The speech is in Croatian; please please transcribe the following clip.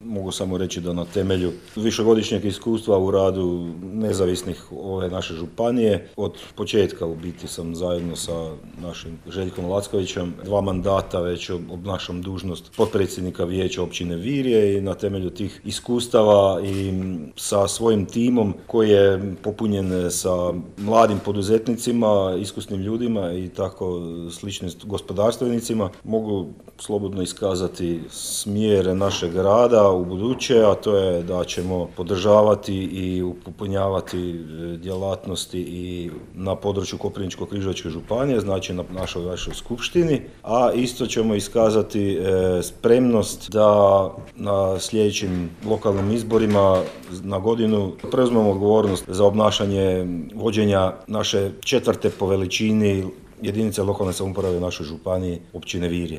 mogu samo reći da na temelju višegodišnjeg iskustva u radu nezavisnih ove naše županije, od početka u biti sam zajedno sa našim Željkom Lackovićem 2 mandata već obnašam dužnost potpredsjednika vijeća općine Virje i na temelju tih iskustava i sa svojim timom koji je popunjen sa mladim poduzetnicima, iskusnim ljudima i tako sličnim gospodarstvenicima, mogu slobodno iskazati smjer našeg rada u buduće, a to je da ćemo podržavati i upotpunjavati djelatnosti i na području Koprivničko-križevačke županije, znači na našoj vašoj skupštini, a isto ćemo iskazati spremnost da na sljedećim lokalnim izborima na godinu preuzmemo odgovornost za obnašanje vođenja naše 4. po veličini jedinice lokalne samouprave u našoj županiji, općine Virje.